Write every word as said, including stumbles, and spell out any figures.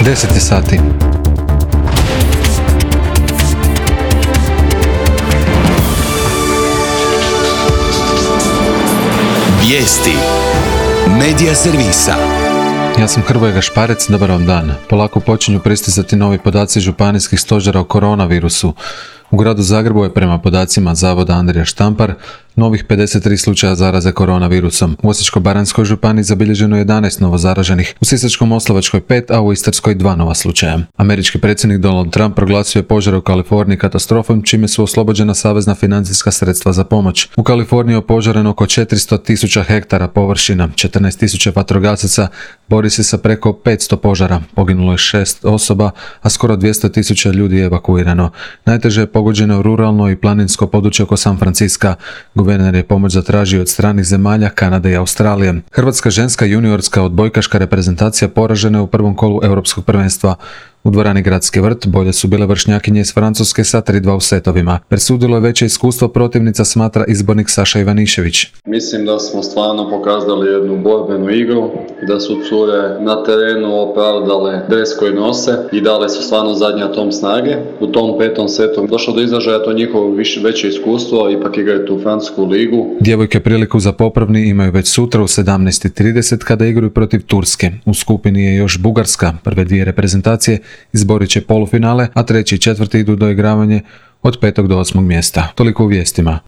deset je sati. Vijesti Medija servisa. Ja sam Hrvoje Gašparec, dobar vam dan. Polako počinju pristizati novi podaci županijskih stožera o koronavirusu. U gradu Zagrebu je prema podacima Zavoda Andrija Štampar novih pedeset tri slučaja zaraze koronavirusom. U Osječko-baranjskoj županiji zabilježeno je jedanaest novozaraženih, u Sisačko-moslavačkoj pet, a u Istarskoj dva nova slučaja. Američki predsjednik Donald Trump proglasio je požar u Kaliforniji katastrofom, čime su oslobođena savezna financijska sredstva za pomoć. U Kaliforniji je opožareno oko četiristo tisuća hektara površina, četrnaest tisuća vatrogasaca bori se sa preko petsto požara. Poginulo je šest osoba, a skoro dvjesto tisuća ljudi je evakuirano. Najteže je pogođeno ruralno i planinsko područje oko San Franciska. Guverner je pomoć zatražio od stranih zemalja, Kanade i Australije. Hrvatska ženska juniorska odbojkaška reprezentacija poražena je u prvom kolu europskog prvenstva. U dvorani Gradski vrt bolje su bile vršnjakinje iz Francuske sa tri dva u setovima. Presudilo je veće iskustvo, protivnica smatra izbornik Saša Ivanišević. Mislim da smo stvarno pokazali jednu borbenu igru, da su cure na terenu opravdale dres koji nose i dale su stvarno zadnji atom snage. U tom petom setu došlo do izražaja to njihovo više, veće iskustvo, ipak igraju tu francusku ligu. Djevojke priliku za popravni imaju već sutra u sedamnaest i trideset kada igraju protiv Turske. U skupini je još Bugarska. Prve dvije reprezentacije izborit će polufinale, a treći i četvrti idu do igravanja od petog do osmog mjesta. Toliko u vijestima.